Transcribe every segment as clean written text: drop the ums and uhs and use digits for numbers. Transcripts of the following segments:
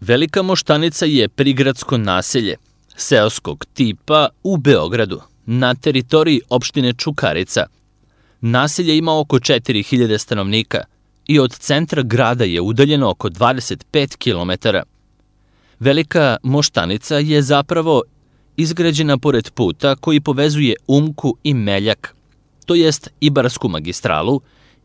Velika Moštanica je prigradsko naselje, seoskog tipa u Beogradu, na teritoriji opštine Čukarica. Naselje ima oko 4000 stanovnika i od centra grada je udaljeno oko 25 km. Velika Moštanica je zapravo izgrađena pored puta koji povezuje Umku i Meljak, to jest Ibarsku magistralu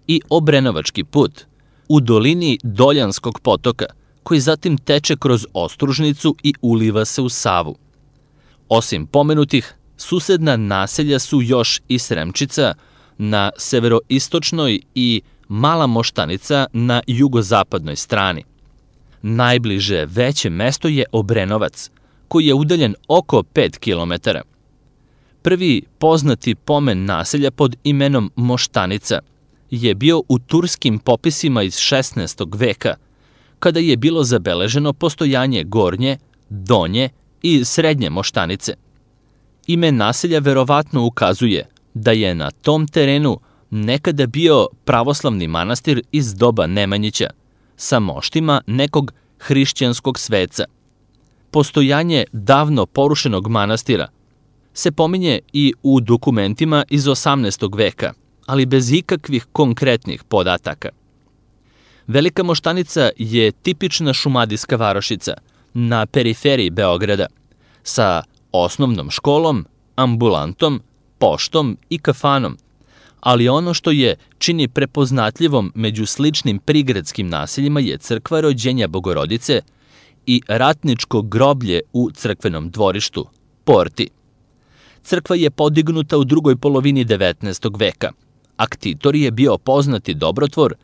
i Obrenovački put, u dolini Doljanskog potoka, koji zatim teče kroz Ostružnicu i uliva se u Savu. Osim pomenutih, susedna naselja su još i Sremčica na severoistočnoj i Mala Moštanica na jugozapadnoj strani. Najbliže veće mesto je Obrenovac, koji je udaljen oko 5 km. Prvi poznati pomen naselja pod imenom Moštanica je bio u turskim popisima iz 16. veka, kada je bilo zabeleženo postojanje Gornje, Donje i Srednje Moštanice. Ime naselja verovatno ukazuje da je na tom terenu nekada bio pravoslavni manastir iz doba Nemanjića, sa moštima nekog hrišćanskog sveca. Postojanje davno porušenog manastira se pominje i u dokumentima iz 18. veka, ali bez ikakvih konkretnih podataka. Velika Moštanica je tipična šumadijska varošica na periferiji Beograda, sa osnovnom školom, ambulantom, poštom i kafanom, ali ono što je čini prepoznatljivom među sličnim prigradskim naseljima je crkva Rođenja Bogorodice i ratničko groblje u crkvenom dvorištu, Porti. Crkva je podignuta u drugoj polovini 19. veka. Aktitor je bio poznati dobrotvor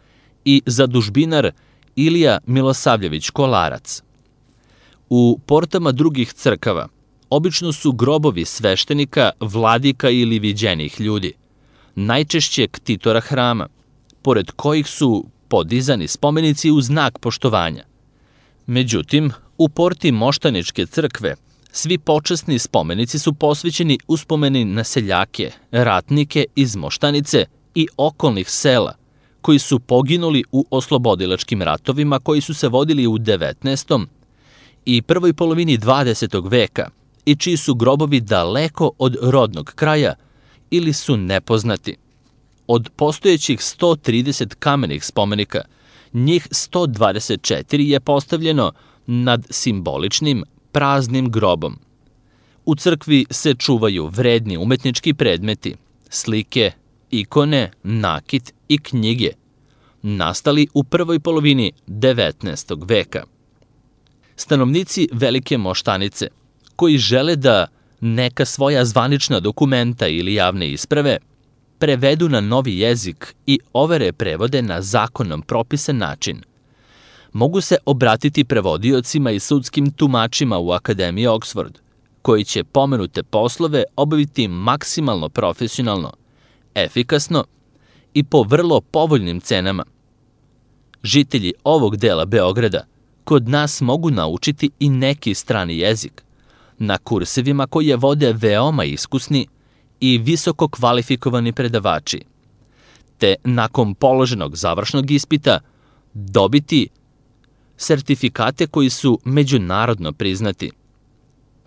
i zadužbinar Ilija Milosavljević Kolarac. U portama drugih crkava obično su grobovi sveštenika, vladika ili viđenih ljudi, najčešće ktitora hrama, pored kojih su podizani spomenici u znak poštovanja. Međutim, u porti Moštaničke crkve svi počasni spomenici su posvećeni uspomeni na seljake, ratnike iz Moštanice i okolnih sela, koji su poginuli u oslobodilačkim ratovima koji su se vodili u 19. i prvoj polovini 20. veka i čiji su grobovi daleko od rodnog kraja ili su nepoznati. Od postojećih 130 kamenih spomenika, njih 124 je postavljeno nad simboličnim praznim grobom. U crkvi se čuvaju vredni umetnički predmeti, slike, ikone, nakit i knjige, nastali u prvoj polovini 19. veka. Stanovnici Velike Moštanice, koji žele da neka svoja zvanična dokumenta ili javne isprave prevedu na novi jezik i overe prevode na zakonom propisan način, mogu se obratiti prevodiocima i sudskim tumačima u Akademiji Oxford, koji će pomenute poslove obaviti maksimalno profesionalno, efikasno i po vrlo povoljnim cenama. Žitelji ovog dela Beograda kod nas mogu naučiti i neki strani jezik, na kursevima koje vode veoma iskusni i visoko kvalifikovani predavači, te nakon položenog završnog ispita dobiti sertifikate koji su međunarodno priznati.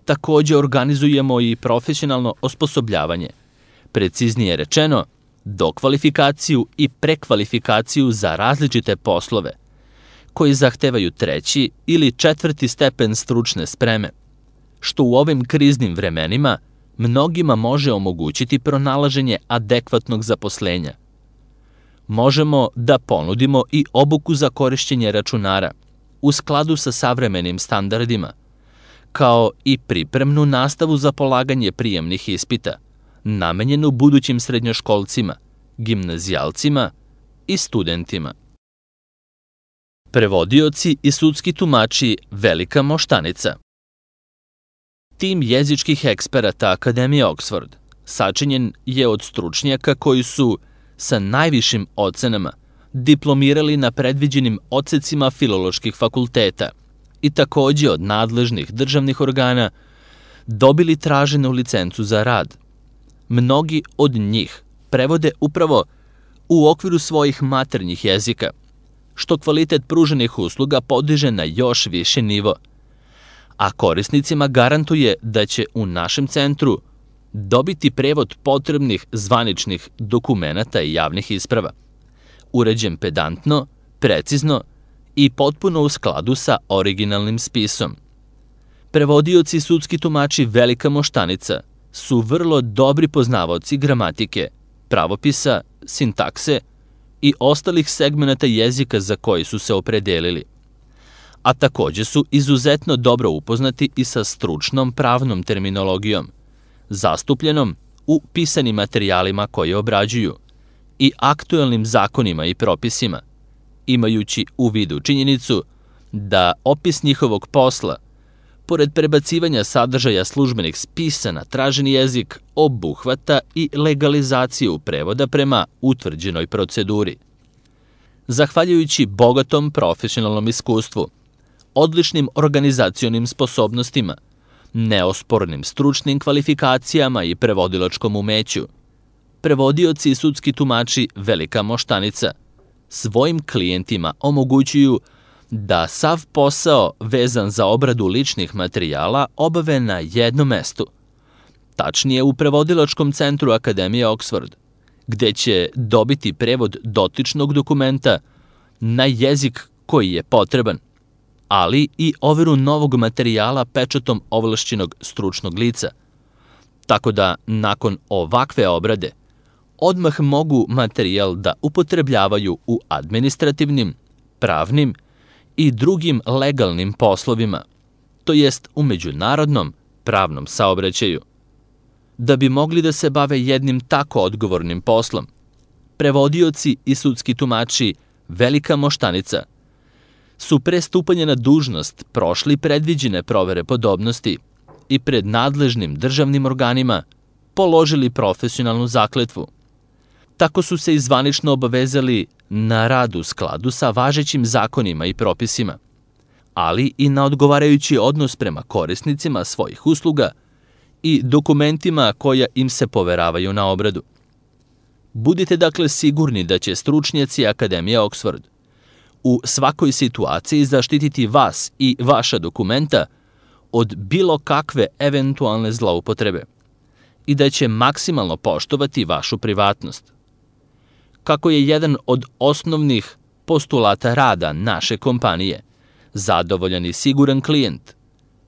Takođe organizujemo i profesionalno osposobljavanje, preciznije rečeno, dokvalifikaciju i prekvalifikaciju za različite poslove, koji zahtevaju 3. ili 4. stepen stručne spreme, što u ovim kriznim vremenima mnogima može omogućiti pronalaženje adekvatnog zaposlenja. Možemo da ponudimo i obuku za korišćenje računara u skladu sa savremenim standardima, kao i pripremnu nastavu za polaganje prijemnih ispita, namenjenu budućim srednjoškolcima, gimnazijalcima i studentima. Prevodioci i sudski tumači Velika Moštanica. Tim jezičkih eksperata Akademije Oxford sačinjen je od stručnjaka koji su sa najvišim ocenama diplomirali na predviđenim odsecima filoloških fakulteta i takođe od nadležnih državnih organa dobili traženu licencu za rad. Mnogi od njih prevode upravo u okviru svojih maternjih jezika, što kvalitet pruženih usluga podiže na još viši nivo, a korisnicima garantuje da će u našem centru dobiti prevod potrebnih zvaničnih dokumenata i javnih isprava, uređen pedantno, precizno i potpuno u skladu sa originalnim spisom. Prevodioci i sudski tumači Velika Moštanica su vrlo dobri poznavaoci gramatike, pravopisa, sintakse i ostalih segmenata jezika za koji su se opredelili, a takođe su izuzetno dobro upoznati i sa stručnom pravnom terminologijom, zastupljenom u pisanim materijalima koje obrađuju i aktuelnim zakonima i propisima, imajući u vidu činjenicu da opis njihovog posla, pored prebacivanja sadržaja službenih spisa na traženi jezik, obuhvata i legalizaciju prevoda prema utvrđenoj proceduri. Zahvaljujući bogatom profesionalnom iskustvu, odličnim organizacionim sposobnostima, neospornim stručnim kvalifikacijama i prevodilačkom umeću, prevodioci i sudski tumači Velika Moštanica svojim klijentima omogućuju da sav posao vezan za obradu ličnih materijala obave na jednom mestu, tačnije u prevodilačkom centru Akademije Oxford, gde će dobiti prevod dotičnog dokumenta na jezik koji je potreban, ali i overu novog materijala pečatom ovlašćenog stručnog lica, tako da nakon ovakve obrade odmah mogu materijal da upotrebljavaju u administrativnim, pravnim i drugim legalnim poslovima, to jest u međunarodnom pravnom saobraćaju. Da bi mogli da se bave jednim tako odgovornim poslom, prevodioci i sudski tumači Velika Moštanica su pre stupanja na dužnost prošli predviđene provere podobnosti i pred nadležnim državnim organima položili profesionalnu zakletvu. Tako su se i zvanično obavezali na rad u skladu sa važećim zakonima i propisima, ali i na odgovarajući odnos prema korisnicima svojih usluga i dokumentima koja im se poveravaju na obradu. Budite dakle sigurni da će stručnjaci Akademije Oxford u svakoj situaciji zaštititi vas i vaša dokumenta od bilo kakve eventualne zloupotrebe i da će maksimalno poštovati vašu privatnost. Kako je jedan od osnovnih postulata rada naše kompanije zadovoljan i siguran klijent,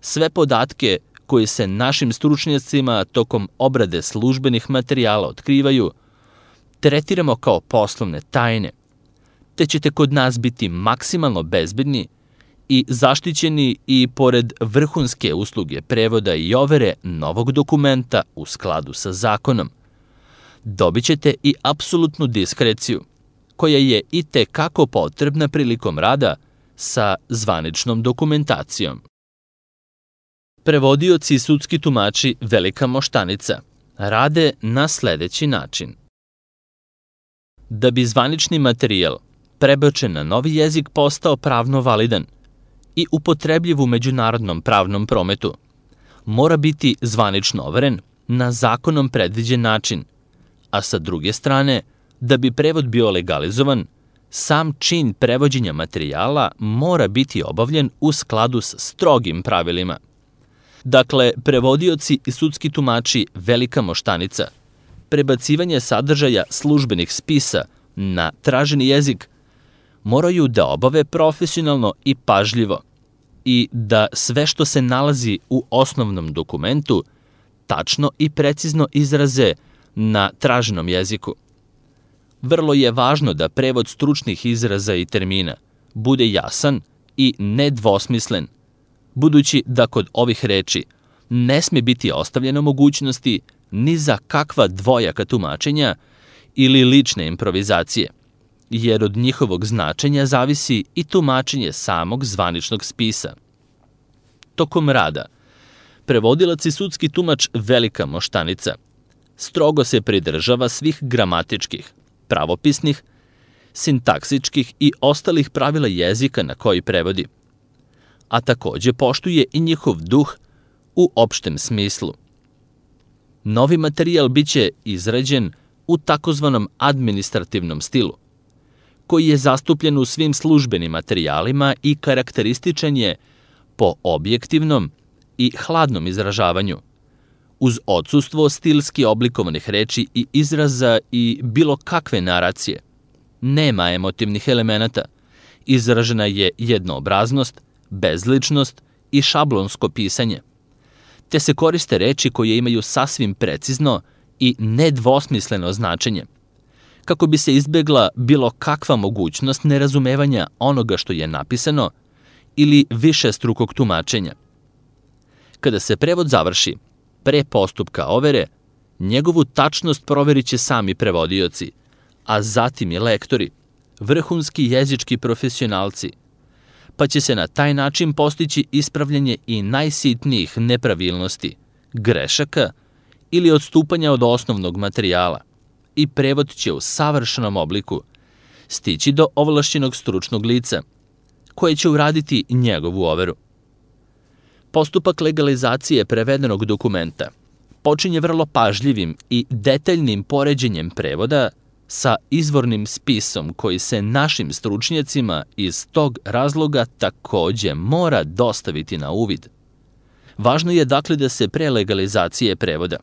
sve podatke koji se našim stručnjacima tokom obrade službenih materijala otkrivaju, tretiramo kao poslovne tajne, te ćete kod nas biti maksimalno bezbedni i zaštićeni i pored vrhunske usluge prevoda i overe novog dokumenta u skladu sa zakonom. Dobit ćete i apsolutnu diskreciju, koja je i te kako potrebna prilikom rada sa zvaničnom dokumentacijom. Prevodioci i sudski tumači Velika Moštanica rade na sledeći način. Da bi zvanični materijal prebačen na novi jezik postao pravno validan i upotrebljiv u međunarodnom pravnom prometu, mora biti zvanično overen na zakonom predviđen način, a sa druge strane, da bi prevod bio legalizovan, sam čin prevođenja materijala mora biti obavljen u skladu s strogim pravilima. Dakle, prevodioci i sudski tumači Velika Moštanica, prebacivanje sadržaja službenih spisa na traženi jezik moraju da obave profesionalno i pažljivo i da sve što se nalazi u osnovnom dokumentu tačno i precizno izraze na traženom jeziku. Vrlo je važno da prevod stručnih izraza i termina bude jasan i nedvosmislen, budući da kod ovih reči ne sme biti ostavljeno mogućnosti ni za kakva dvojaka tumačenja ili lične improvizacije, jer od njihovog značenja zavisi i tumačenje samog zvaničnog spisa. Tokom rada, prevodilac i sudski tumač Velika Moštanica strogo se pridržava svih gramatičkih, pravopisnih, sintaksičkih i ostalih pravila jezika na koji prevodi, a takođe poštuje i njihov duh u opštem smislu. Novi materijal biće izrađen u takozvanom administrativnom stilu, koji je zastupljen u svim službenim materijalima i karakterističan je po objektivnom i hladnom izražavanju, uz odsustvo stilski oblikovanih reči i izraza i bilo kakve naracije. Nema emotivnih elemenata, izražena je jednoobraznost, bezličnost i šablonsko pisanje, te se koriste reči koje imaju sasvim precizno i nedvosmisleno značenje, kako bi se izbegla bilo kakva mogućnost nerazumevanja onoga što je napisano ili višestrukog tumačenja. Kada se prevod završi, pre postupka overe, njegovu tačnost proverit će sami prevodioci, a zatim i lektori, vrhunski jezički profesionalci, pa će se na taj način postići ispravljanje i najsitnijih nepravilnosti, grešaka ili odstupanja od osnovnog materijala, i prevod će u savršenom obliku stići do ovlašćenog stručnog lica, koje će uraditi njegovu overu. Postupak legalizacije prevedenog dokumenta počinje vrlo pažljivim i detaljnim poređenjem prevoda sa izvornim spisom koji se našim stručnjacima iz tog razloga takođe mora dostaviti na uvid. Važno je dakle da se pre legalizacije prevoda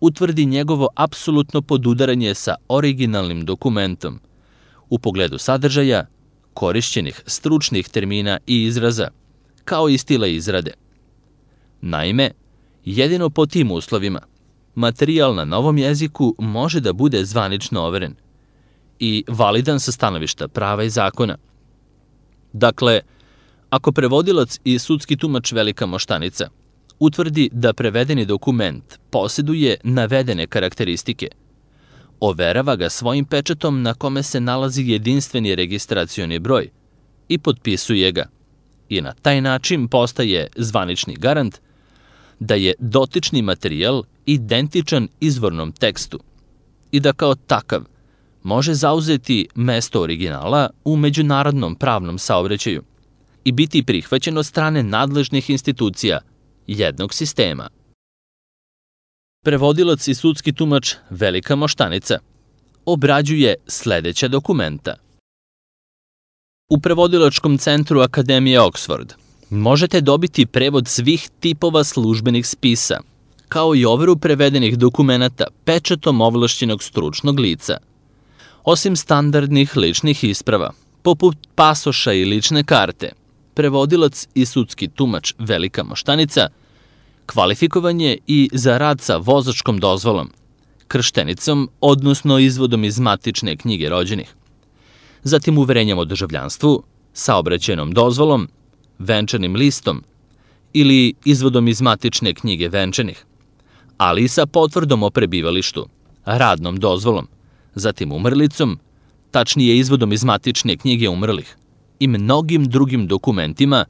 utvrdi njegovo apsolutno podudaranje sa originalnim dokumentom u pogledu sadržaja, korišćenih stručnih termina i izraza, kao i stila izrade. Naime, jedino po tim uslovima materijal na novom jeziku može da bude zvanično overen i validan sa stanovišta prava i zakona. Dakle, ako prevodilac i sudski tumač Velika Moštanica utvrdi da prevedeni dokument posjeduje navedene karakteristike, overava ga svojim pečatom na kome se nalazi jedinstveni registracioni broj i potpisuje ga, i na taj način postaje zvanični garant da je dotični materijal identičan izvornom tekstu i da kao takav može zauzeti mesto originala u međunarodnom pravnom saobraćaju i biti prihvaćen od strane nadležnih institucija jednog sistema. Prevodilac i sudski tumač Velika Moštanica obrađuje sledeća dokumenta. U Prevodilačkom centru Akademije Oxford možete dobiti prevod svih tipova službenih spisa, kao i overu prevedenih dokumenata pečatom ovlašćenog stručnog lica. Osim standardnih ličnih isprava, poput pasoša i lične karte, prevodilac i sudski tumač Velika Moštanica kvalifikovan je i za rad sa vozačkom dozvolom, krštenicom, odnosno izvodom iz matične knjige rođenih, zatim uverenjem o državljanstvu, saobraćajnom dozvolom, venčanim listom ili izvodom iz matične knjige venčanih, ali i sa potvrdom o prebivalištu, radnom dozvolom, zatim umrlicom, tačnije izvodom iz matične knjige umrlih i mnogim drugim dokumentima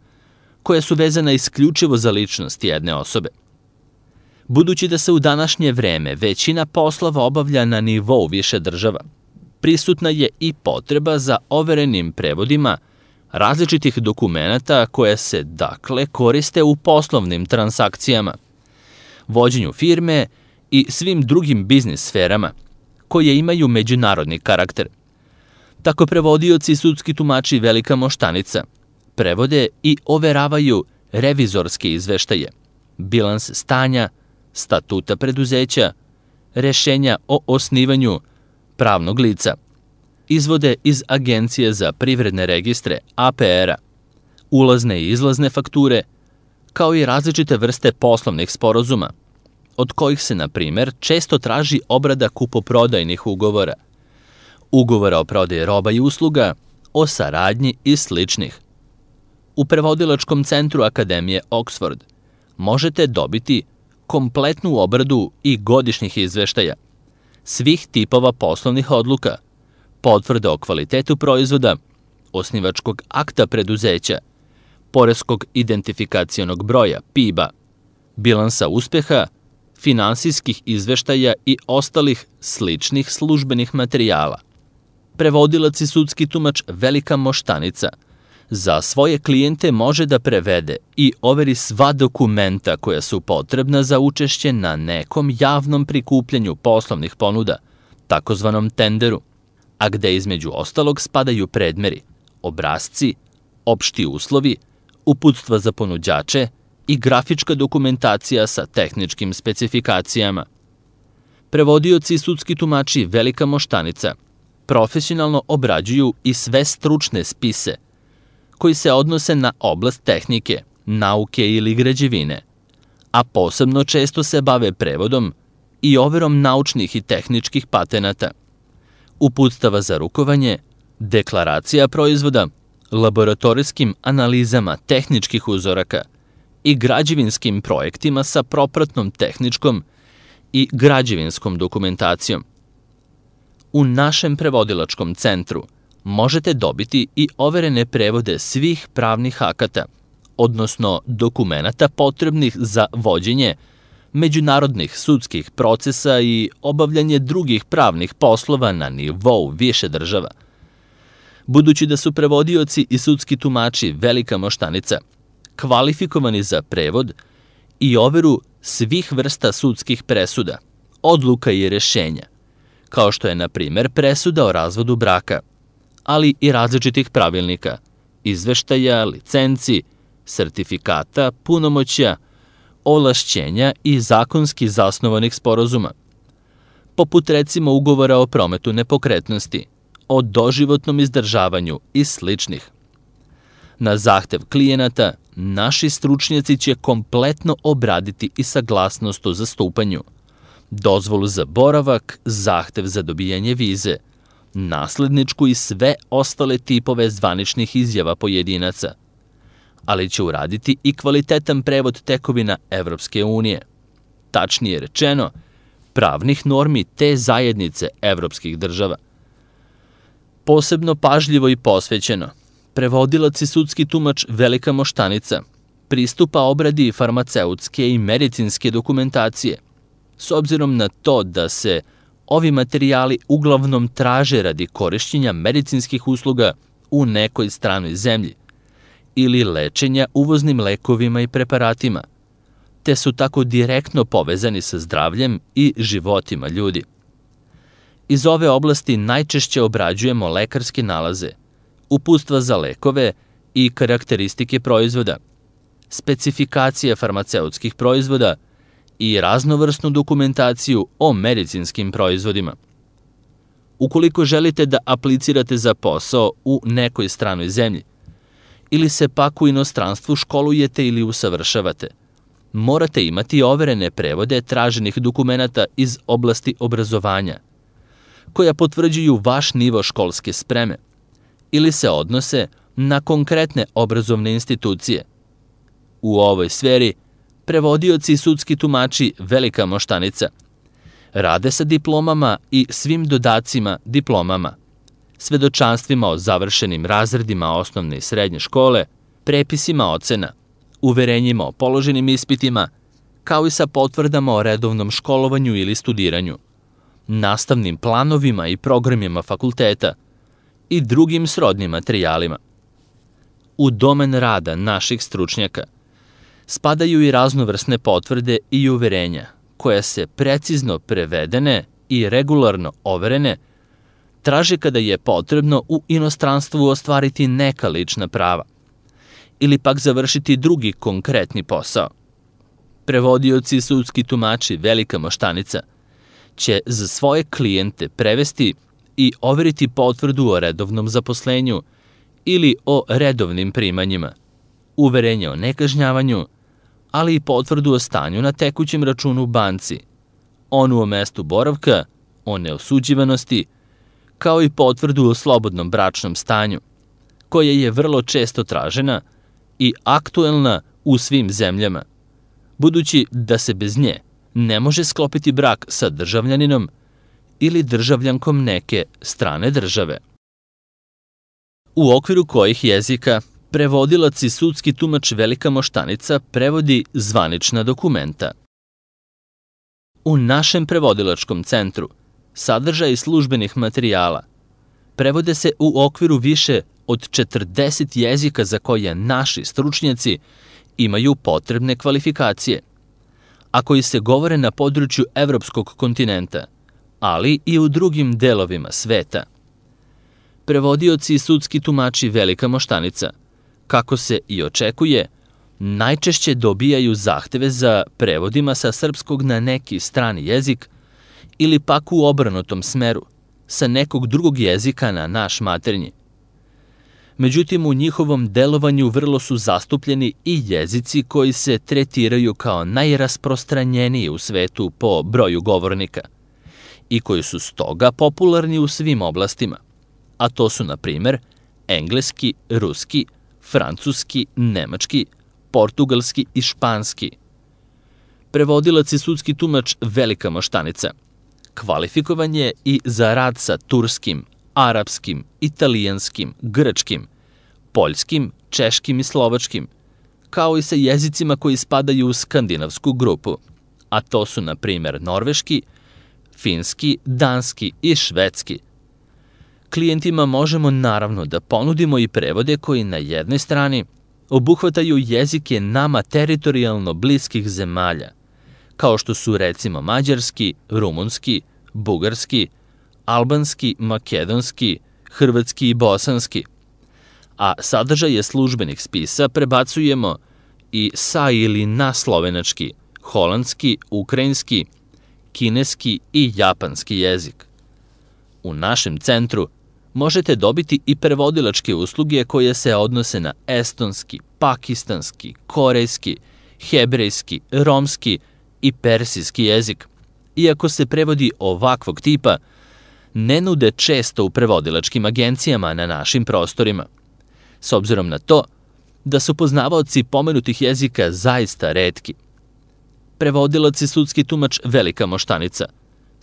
koja su vezana isključivo za ličnost jedne osobe. Budući da se u današnje vreme većina poslova obavlja na nivou više država, prisutna je i potreba za overenim prevodima različitih dokumenata koje se, dakle, koriste u poslovnim transakcijama, vođenju firme i svim drugim biznis sferama koje imaju međunarodni karakter. Tako prevodioci i sudski tumači Velika Moštanica prevode i overavaju revizorske izveštaje, bilans stanja, statuta preduzeća, rešenja o osnivanju pravnog lica, izvode iz Agencije za privredne registre APR-a, ulazne i izlazne fakture, kao i različite vrste poslovnih sporazuma, od kojih se, na primer, često traži obrada kupoprodajnih ugovora, ugovora o prodaji roba i usluga, o saradnji i sličnih. U Prevodilačkom centru Akademije Oxford možete dobiti kompletnu obradu i godišnjih izveštaja, svih tipova poslovnih odluka, potvrde o kvalitetu proizvoda, osnivačkog akta preduzeća, poreskog identifikacionog broja, PIB-a, bilansa uspeha, finansijskih izveštaja i ostalih sličnih službenih materijala. Prevodilac i sudski tumač Velika Moštanica za svoje klijente može da prevede i overi sva dokumenta koja su potrebna za učešće na nekom javnom prikupljanju poslovnih ponuda, takozvanom tenderu, a gde između ostalog spadaju predmeri, obrasci, opšti uslovi, uputstva za ponuđače i grafička dokumentacija sa tehničkim specifikacijama. Prevodioci i sudski tumači Velika Moštanica profesionalno obrađuju i sve stručne spise koji se odnose na oblast tehnike, nauke ili građevine, a posebno često se bave prevodom i overom naučnih i tehničkih patenata, uputstava za rukovanje, deklaracija proizvoda, laboratorijskim analizama tehničkih uzoraka i građevinskim projektima sa propratnom tehničkom i građevinskom dokumentacijom. U našem prevodilačkom centru možete dobiti i overene prevode svih pravnih akata, odnosno dokumenata potrebnih za vođenje međunarodnih sudskih procesa i obavljanje drugih pravnih poslova na nivou više država. Budući da su prevodioci i sudski tumači Velika Moštanica kvalifikovani za prevod i overu svih vrsta sudskih presuda, odluka i rešenja, kao što je, na primer, presuda o razvodu braka, ali i različitih pravilnika, izveštaja, licenci, sertifikata, punomoćja, ovlašćenja i zakonski zasnovanih sporazuma, poput recimo ugovora o prometu nepokretnosti, o doživotnom izdržavanju i sličnih. Na zahtev klijenata, naši stručnjaci će kompletno obraditi i saglasnost o zastupanju, dozvolu za boravak, zahtev za dobijanje vize, nasledničku i sve ostale tipove zvaničnih izjava pojedinaca, ali će uraditi i kvalitetan prevod tekovina Evropske unije, tačnije rečeno, pravnih normi te zajednice evropskih država. Posebno pažljivo i posvećeno, prevodilac i sudski tumač Velika Moštanica pristupa obradi farmaceutske i medicinske dokumentacije, s obzirom na to da se ovi materijali uglavnom traže radi korišćenja medicinskih usluga u nekoj stranoj zemlji ili lečenja uvoznim lekovima i preparatima, te su tako direktno povezani sa zdravljem i životima ljudi. Iz ove oblasti najčešće obrađujemo lekarske nalaze, uputstva za lekove i karakteristike proizvoda, specifikacije farmaceutskih proizvoda i raznovrsnu dokumentaciju o medicinskim proizvodima. Ukoliko želite da aplicirate za posao u nekoj stranoj zemlji ili se pak u inostranstvu školujete ili usavršavate, morate imati overene prevode traženih dokumenata iz oblasti obrazovanja, koja potvrđuju vaš nivo školske spreme ili se odnose na konkretne obrazovne institucije. U ovoj sferi prevodioci i sudski tumači Velika Moštanica rade sa diplomama i svim dodacima diplomama, svedočanstvima o završenim razredima osnovne i srednje škole, prepisima ocena, uverenjima o položenim ispitima, kao i sa potvrdama o redovnom školovanju ili studiranju, nastavnim planovima i programima fakulteta i drugim srodnim materijalima. U domen rada naših stručnjaka spadaju i raznovrsne potvrde i uverenja, koje se precizno prevedene i regularno overene traže kada je potrebno u inostranstvu ostvariti neka lična prava ili pak završiti drugi konkretni posao. Prevodioci i sudski tumači Velika Moštanica će za svoje klijente prevesti i overiti potvrdu o redovnom zaposlenju ili o redovnim primanjima, uverenje o nekažnjavanju, ali i potvrdu o stanju na tekućem računu u banci, onu o mestu boravka, o neosuđivanosti, kao i potvrdu o slobodnom bračnom stanju, koja je vrlo često tražena i aktuelna u svim zemljama, budući da se bez nje ne može sklopiti brak sa državljaninom ili državljankom neke strane države. U okviru kojih jezika prevodilac i sudski tumač Velika Moštanica prevodi zvanična dokumenta. U našem prevodilačkom centru sadržaj službenih materijala prevode se u okviru više od 40 jezika za koje naši stručnjaci imaju potrebne kvalifikacije, a koji se govore na području evropskog kontinenta, ali i u drugim delovima sveta. Prevodioci i sudski tumači Velika Moštanica, kako se i očekuje, najčešće dobijaju zahteve za prevodima sa srpskog na neki strani jezik ili pak u obrnutom smeru, sa nekog drugog jezika na naš maternji. Međutim, u njihovom delovanju vrlo su zastupljeni i jezici koji se tretiraju kao najrasprostranjeniji u svetu po broju govornika i koji su stoga popularni u svim oblastima, a to su, na primer, engleski, ruski, francuski, nemački, portugalski i španski. Prevodilac i sudski tumač Velika Moštanica kvalifikovan je i za rad sa turskim, arapskim, italijanskim, grčkim, poljskim, češkim i slovačkim, kao i sa jezicima koji spadaju u skandinavsku grupu, a to su, na primer, norveški, finski, danski i švedski. Klijentima možemo naravno da ponudimo i prevode koji na jednoj strani obuhvataju jezike nama teritorijalno bliskih zemalja, kao što su recimo mađarski, rumunski, bugarski, albanski, makedonski, hrvatski i bosanski, a sadržaje službenih spisa prebacujemo i sa ili na slovenački, holandski, ukrajinski, kineski i japanski jezik. U našem centru možete dobiti i prevodilačke usluge koje se odnose na estonski, pakistanski, korejski, hebrejski, romski i persijski jezik, iako se prevodi ovakvog tipa ne nude često u prevodilačkim agencijama na našim prostorima, s obzirom na to da su poznavaoci pomenutih jezika zaista retki. Prevodilac i sudski tumač Velika Moštanica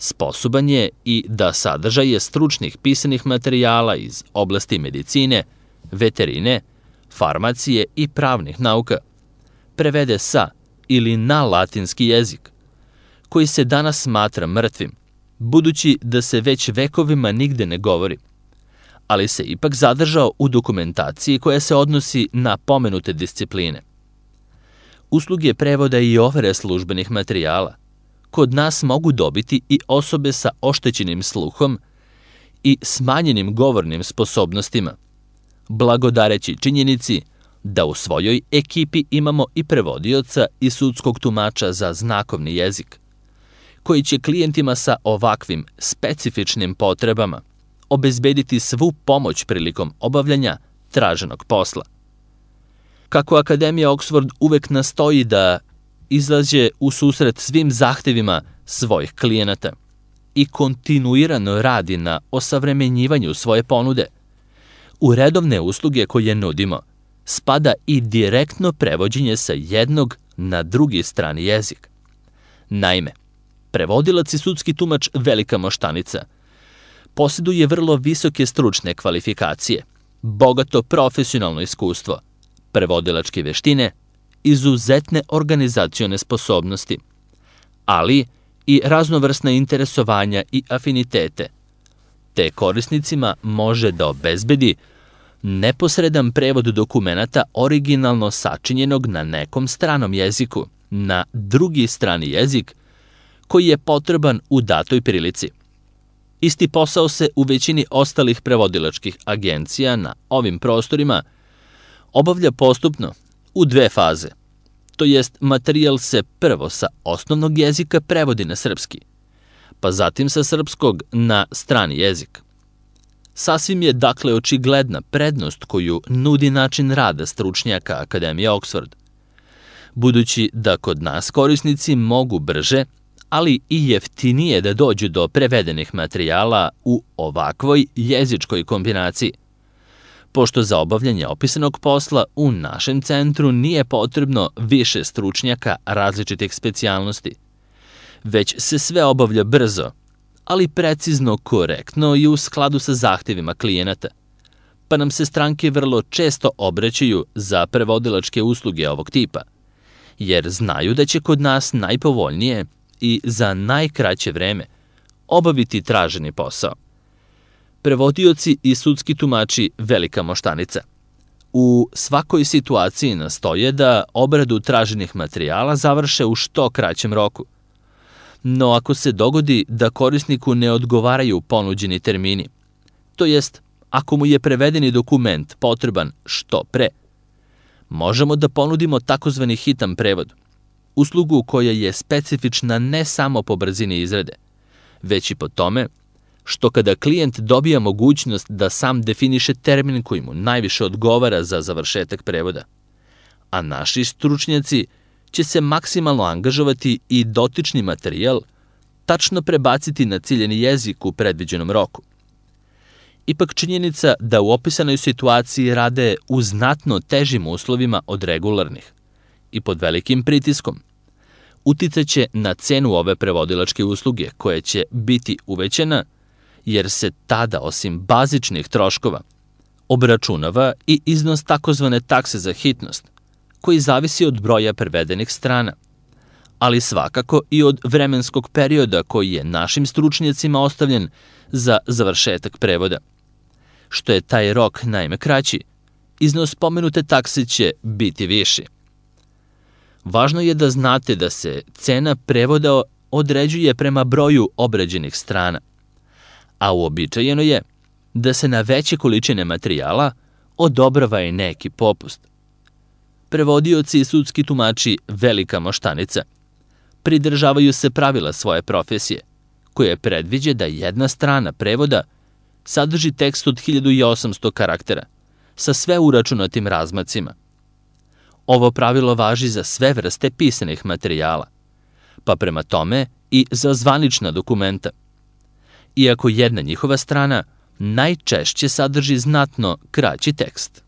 sposoban je i da sadržaje stručnih pisanih materijala iz oblasti medicine, veterine, farmacije i pravnih nauka prevede sa ili na latinski jezik, koji se danas smatra mrtvim, budući da se već vekovima nigde ne govori, ali se ipak zadržao u dokumentaciji koja se odnosi na pomenute discipline. Usluge prevoda i overe službenih materijala kod nas mogu dobiti i osobe sa oštećenim sluhom i smanjenim govornim sposobnostima, blagodareći činjenici da u svojoj ekipi imamo i prevodioca i sudskog tumača za znakovni jezik, koji će klijentima sa ovakvim specifičnim potrebama obezbediti svu pomoć prilikom obavljanja traženog posla. Kako Akademija Oxford uvek nastoji da izlaže u susret svim zahtevima svojih klijenata i kontinuirano radi na osavremenjivanju svoje ponude, u redovne usluge koje nudimo spada i direktno prevođenje sa jednog na drugi strani jezik. Naime, prevodilac i sudski tumač Velika Moštanica posjeduje vrlo visoke stručne kvalifikacije, bogato profesionalno iskustvo, prevodilačke veštine, izuzetne organizacione sposobnosti, ali i raznovrsna interesovanja i afinitete, te korisnicima može da obezbedi neposredan prevod dokumenata originalno sačinjenog na nekom stranom jeziku, na drugi strani jezik, koji je potreban u datoj prilici. Isti posao se u većini ostalih prevodilačkih agencija na ovim prostorima obavlja postupno u dve faze, to jest materijal se prvo sa osnovnog jezika prevodi na srpski, pa zatim sa srpskog na strani jezik. Sasvim je dakle očigledna prednost koju nudi način rada stručnjaka Akademije Oxford, budući da kod nas korisnici mogu brže, ali i jeftinije da dođu do prevedenih materijala u ovakvoj jezičkoj kombinaciji, pošto za obavljanje opisanog posla u našem centru nije potrebno više stručnjaka različitih specijalnosti, već se sve obavlja brzo, ali precizno, korektno i u skladu sa zahtevima klijenata, pa nam se stranke vrlo često obraćaju za prevodilačke usluge ovog tipa, jer znaju da će kod nas najpovoljnije i za najkraće vreme obaviti traženi posao. Prevodioci i sudski tumači Velika Moštanica u svakoj situaciji nastoje da obradu traženih materijala završe u što kraćem roku. No ako se dogodi da korisniku ne odgovaraju ponuđeni termini, to jest ako mu je prevedeni dokument potreban što pre, možemo da ponudimo takozvani hitan prevod, uslugu koja je specifična ne samo po brzini izrade, već i po tome što kada klijent dobija mogućnost da sam definiše termin koji mu najviše odgovara za završetak prevoda, a naši stručnjaci će se maksimalno angažovati i dotični materijal tačno prebaciti na ciljeni jezik u predviđenom roku. Ipak činjenica da u opisanoj situaciji rade u znatno težim uslovima od regularnih i pod velikim pritiskom uticaće na cenu ove prevodilačke usluge koja će biti uvećana jer se tada, osim bazičnih troškova, obračunava i iznos takozvane takse za hitnost, koji zavisi od broja prevedenih strana, ali svakako i od vremenskog perioda koji je našim stručnjacima ostavljen za završetak prevoda. Što je taj rok naime kraći, iznos pomenute takse će biti viši. Važno je da znate da se cena prevoda određuje prema broju obrađenih strana, a uobičajeno je da se na veće količine materijala odobrava i neki popust. Prevodioci i sudski tumači velika moštanica pridržavaju se pravila svoje profesije, koje predviđa da jedna strana prevoda sadrži tekst od 1800 karaktera sa sve uračunatim razmacima. Ovo pravilo važi za sve vrste pisanih materijala, pa prema tome i za zvanična dokumenta, iako jedna njihova strana najčešće sadrži znatno kraći tekst.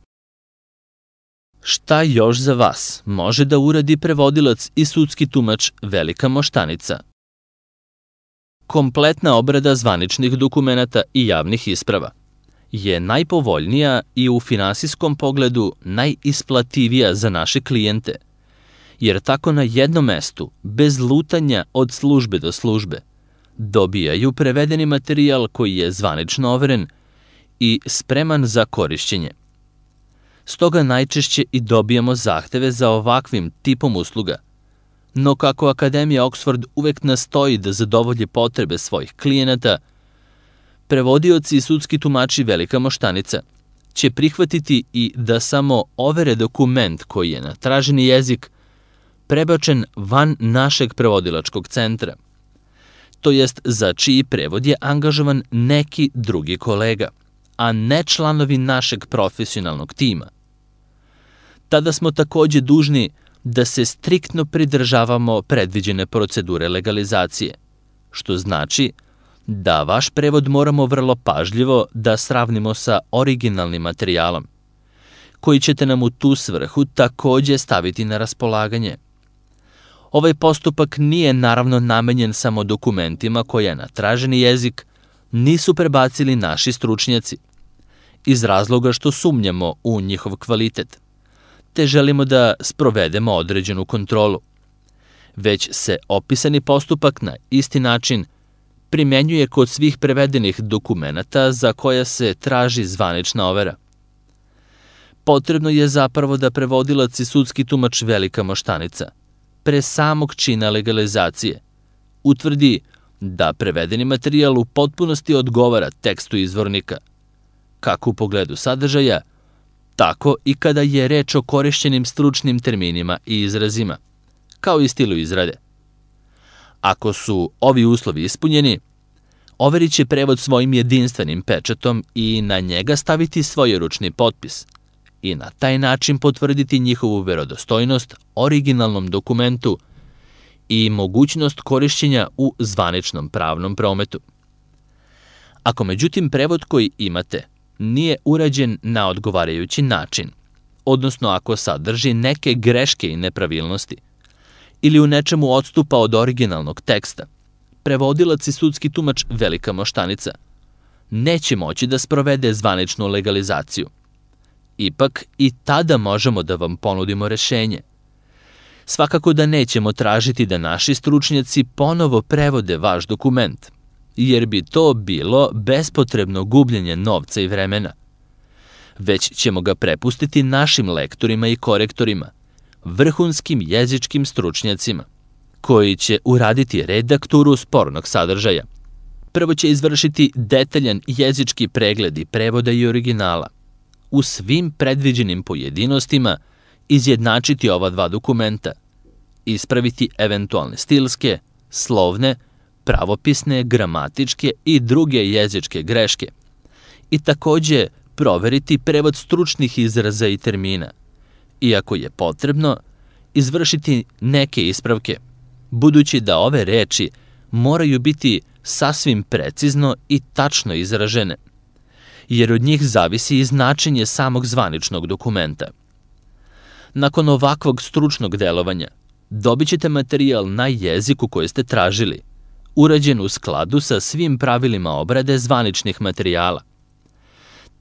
Šta još za vas može da uradi prevodilac i sudski tumač velika moštanica? Kompletna obrada zvaničnih dokumenata i javnih isprava je najpovoljnija i u finansijskom pogledu najisplativija za naše klijente, jer tako na jednom mestu, bez lutanja od službe do službe, dobijaju prevedeni materijal koji je zvanično overen i spreman za korišćenje. Stoga najčešće i dobijamo zahteve za ovakvim tipom usluga, no kako Akademija Oxford uvek nastoji da zadovolji potrebe svojih klijenata, prevodioci i sudski tumači velika moštanica će prihvatiti i da samo overe dokument koji je na traženi jezik prebačen van našeg prevodilačkog centra, to jest za čiji prevod je angažovan neki drugi kolega, a ne članovi našeg profesionalnog tima. Tada smo takođe dužni da se striktno pridržavamo predviđene procedure legalizacije, što znači da vaš prevod moramo vrlo pažljivo da sravnimo sa originalnim materijalom, koji ćete nam u tu svrhu takođe staviti na raspolaganje. Ovaj postupak nije naravno namenjen samo dokumentima koje na traženi jezik nisu prebacili naši stručnjaci, iz razloga što sumnjamo u njihov kvalitet, te želimo da sprovedemo određenu kontrolu, već se opisani postupak na isti način primenjuje kod svih prevedenih dokumenata za koja se traži zvanična overa. Potrebno je zapravo da prevodilac i sudski tumač velika moštanica pre samog čina legalizacije utvrdi da prevedeni materijal u potpunosti odgovara tekstu izvornika, kako u pogledu sadržaja, tako i kada je reč o korišćenim stručnim terminima i izrazima, kao i stilu izrade. Ako su ovi uslovi ispunjeni, overit će prevod svojim jedinstvenim pečatom i na njega staviti svojeručni potpis i na taj način potvrditi njihovu verodostojnost originalnom dokumentu i mogućnost korišćenja u zvaničnom pravnom prometu. Ako međutim prevod koji imate nije urađen na odgovarajući način, odnosno ako sadrži neke greške i nepravilnosti, ili u nečemu odstupa od originalnog teksta, prevodilac i sudski tumač velika moštanica neće moći da sprovede zvaničnu legalizaciju. Ipak i tada možemo da vam ponudimo rešenje. Svakako da nećemo tražiti da naši stručnjaci ponovo prevode vaš dokument, jer bi to bilo bespotrebno gubljenje novca i vremena. Već ćemo ga prepustiti našim lektorima i korektorima, vrhunskim jezičkim stručnjacima, koji će uraditi redakturu spornog sadržaja, prvo će izvršiti detaljan jezički pregled i prevoda i originala. U svim predviđenim pojedinostima izjednačiti ova dva dokumenta, ispraviti eventualne stilske, slovne, pravopisne, gramatičke i druge jezičke greške i takođe proveriti prevod stručnih izraza i termina. Iako je potrebno, izvršiti neke ispravke, budući da ove reči moraju biti sasvim precizno i tačno izražene, jer od njih zavisi i značenje samog zvaničnog dokumenta. Nakon ovakvog stručnog delovanja, dobit ćete materijal na jeziku koji ste tražili, urađen u skladu sa svim pravilima obrade zvaničnih materijala,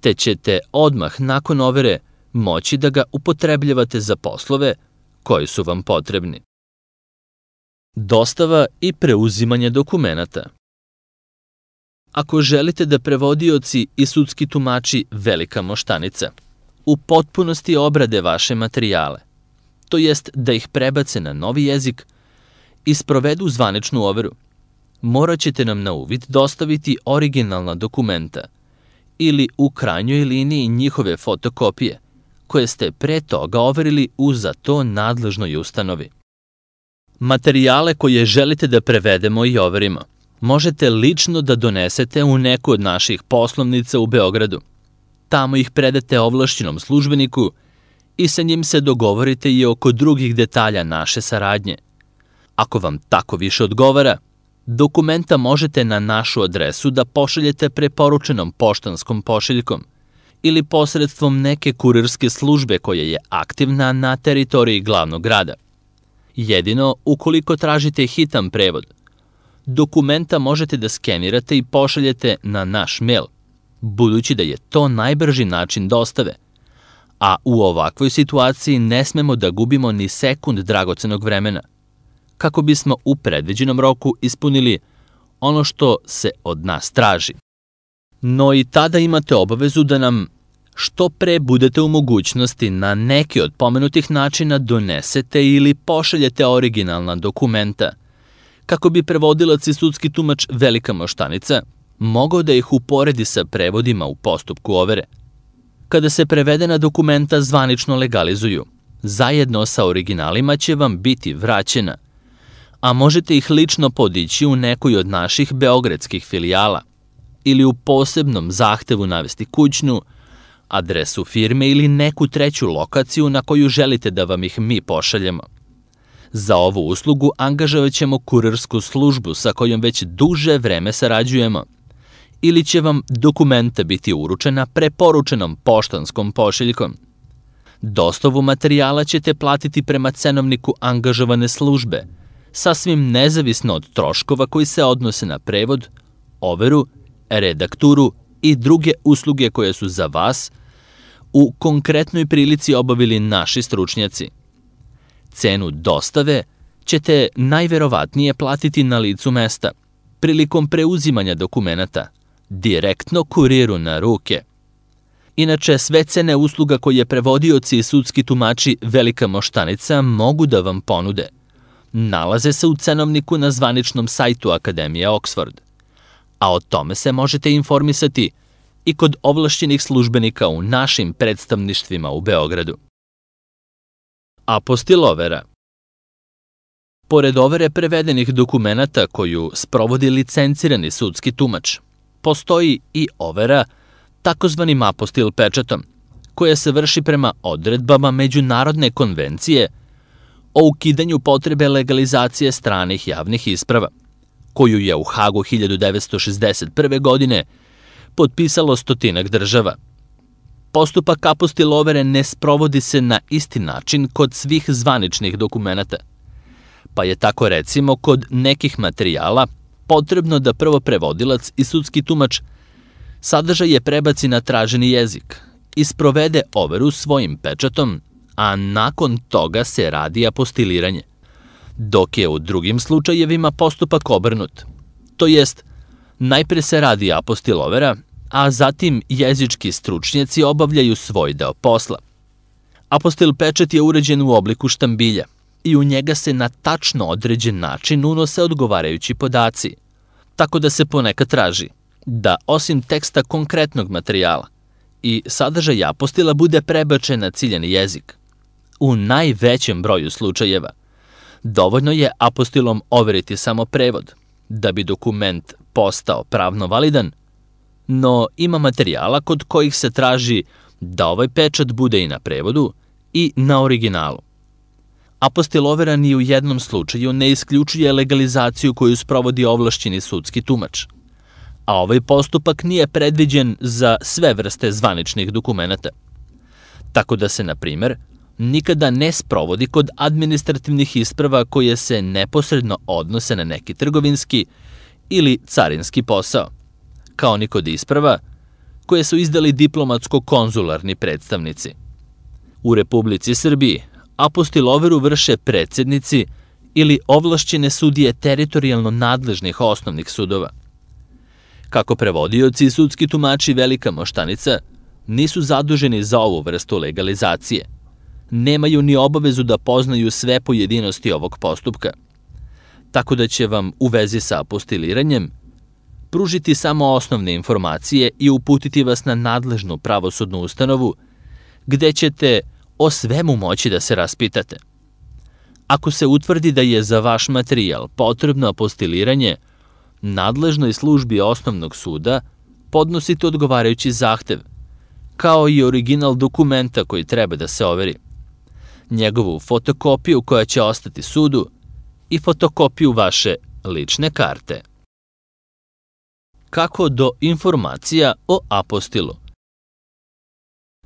te ćete odmah nakon overe moći da ga upotrebljavate za poslove koji su vam potrebni. Dostava i preuzimanje dokumenata. Ako želite da prevodioci i sudski tumači Velika Moštanica u potpunosti obrade vaše materijale, to jest da ih prebace na novi jezik i sprovedu zvaničnu overu, morat ćete nam na uvid dostaviti originalna dokumenta ili u krajnjoj liniji njihove fotokopije, koje ste pre toga overili u za to nadležnoj ustanovi. Materijale koje želite da prevedemo i overimo možete lično da donesete u neku od naših poslovnica u Beogradu. Tamo ih predate ovlašćenom službeniku i sa njim se dogovorite i oko drugih detalja naše saradnje. Ako vam tako više odgovara, dokumenta možete na našu adresu da pošaljete preporučenom poštanskom pošiljkom ili posredstvom neke kurirske službe koja je aktivna na teritoriji glavnog grada. Jedino, ukoliko tražite hitan prevod, dokumenta možete da skenirate i pošaljete na naš mail, budući da je to najbrži način dostave, a u ovakvoj situaciji ne smemo da gubimo ni sekund dragocenog vremena, kako bismo u predviđenom roku ispunili ono što se od nas traži. No i tada imate obavezu da nam što pre budete u mogućnosti na neki od pomenutih načina donesete ili pošaljete originalna dokumenta, kako bi prevodilac i sudski tumač Velika Moštanica mogao da ih uporedi sa prevodima u postupku overe. Kada se prevedena dokumenta zvanično legalizuju, zajedno sa originalima će vam biti vraćena, a možete ih lično podići u nekoj od naših beogradskih filijala ili u posebnom zahtevu navesti kućnu, adresu firme ili neku treću lokaciju na koju želite da vam ih mi pošaljemo. Za ovu uslugu angažovat ćemo kurirsku službu sa kojom već duže vreme sarađujemo ili će vam dokumenta biti uručena preporučenom poštanskom pošiljkom. Dostavu materijala ćete platiti prema cenovniku angažovane službe, sasvim nezavisno od troškova koji se odnose na prevod, overu, redakturu i druge usluge koje su za vas u konkretnoj prilici obavili naši stručnjaci. Cenu dostave ćete najverovatnije platiti na licu mesta, prilikom preuzimanja dokumenata, direktno kuriru na ruke. Inače, sve cene usluga koje prevodioci i sudski tumači Velika Moštanica mogu da vam ponude nalaze se u cenovniku na zvaničnom sajtu Akademije Oxford, a o tome se možete informisati i kod ovlašćenih službenika u našim predstavništvima u Beogradu. Apostil-overa. Pored overe prevedenih dokumenata koju sprovodi licencirani sudski tumač, postoji i overa takozvanim apostil pečatom, koja se vrši prema odredbama Međunarodne konvencije o ukidanju potrebe legalizacije stranih javnih isprava, koju je u Hagu 1961. godine potpisalo 100 država. Postupak apostil-overe ne sprovodi se na isti način kod svih zvaničnih dokumenata, pa je tako recimo kod nekih materijala potrebno da prvo prevodilac i sudski tumač sadržaje prebaci na traženi jezik i sprovede overu svojim pečatom, a nakon toga se radi apostiliranje, dok je u drugim slučajevima postupak obrnut, to jest najpre se radi apostil-overa, a zatim jezički stručnjaci obavljaju svoj deo posla. Apostil pečat je uređen u obliku štambilja i u njega se na tačno određen način unose odgovarajući podaci, Tako da se ponekad traži da osim teksta konkretnog materijala i sadržaj apostila bude prebačen na ciljani jezik. U najvećem broju slučajeva dovoljno je apostilom overiti samo prevod da bi dokument postao pravno validan, no ima materijala kod kojih se traži da ovaj pečat bude i na prevodu i na originalu. Apostil overa ni u jednom slučaju ne isključuje legalizaciju koju sprovodi ovlašćeni sudski tumač, a ovaj postupak nije predviđen za sve vrste zvaničnih dokumenata. Tako da se, na primer, nikada ne sprovodi kod administrativnih isprava koje se neposredno odnose na neki trgovinski ili carinski posao, kao ni kod isprava koje su izdali diplomatsko-konzularni predstavnici. U Republici Srbiji apostil overu vrše predsednici ili ovlašćene sudije teritorijalno nadležnih osnovnih sudova. Kako prevodioci i sudski tumači Velika Moštanica nisu zaduženi za ovu vrstu legalizacije, nemaju ni obavezu da poznaju sve pojedinosti ovog postupka, tako da će vam u vezi sa apostiliranjem pružiti samo osnovne informacije i uputiti vas na nadležnu pravosudnu ustanovu, gde ćete o svemu moći da se raspitate. Ako se utvrdi da je za vaš materijal potrebno apostiliranje, nadležnoj službi osnovnog suda podnosite odgovarajući zahtev, kao i original dokumenta koji treba da se overi, njegovu fotokopiju koja će ostati sudu i fotokopiju vaše lične karte. Kako do informacija o apostilu?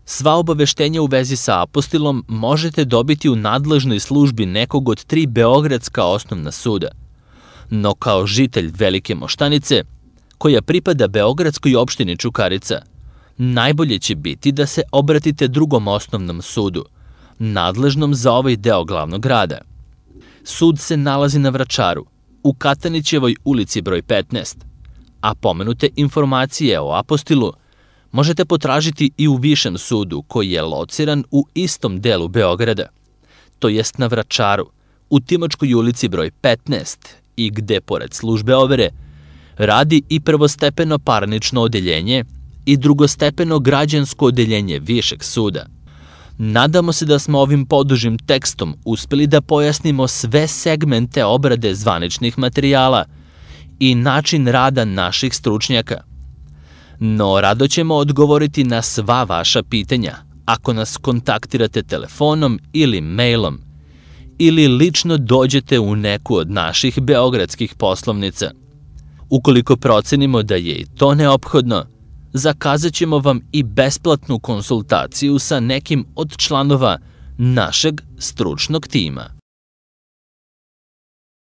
Sva obaveštenja u vezi sa apostilom možete dobiti u nadležnoj službi nekog od 3 beogradska osnovna suda, no kao žitelj Velike Moštanice, koja pripada beogradskoj opštini Čukarica, najbolje će biti da se obratite drugom osnovnom sudu, nadležnom za ovaj deo glavnog grada. Sud se nalazi na Vračaru, u Katanićevoj ulici broj 15, a pomenute informacije o apostilu možete potražiti i u Višem sudu koji je lociran u istom delu Beograda, to jest na Vračaru, u Timočkoj ulici broj 15 i gde, pored službe overe, radi i prvostepeno parnično odeljenje i drugostepeno građansko odeljenje Višeg suda. Nadamo se da smo ovim podužim tekstom uspeli da pojasnimo sve segmente obrade zvaničnih materijala i način rada naših stručnjaka. No, rado ćemo odgovoriti na sva vaša pitanja ako nas kontaktirate telefonom ili mailom ili lično dođete u neku od naših beogradskih poslovnica. Ukoliko procenimo da je i to neophodno, zakazat ćemo vam i besplatnu konsultaciju sa nekim od članova našeg stručnog tima.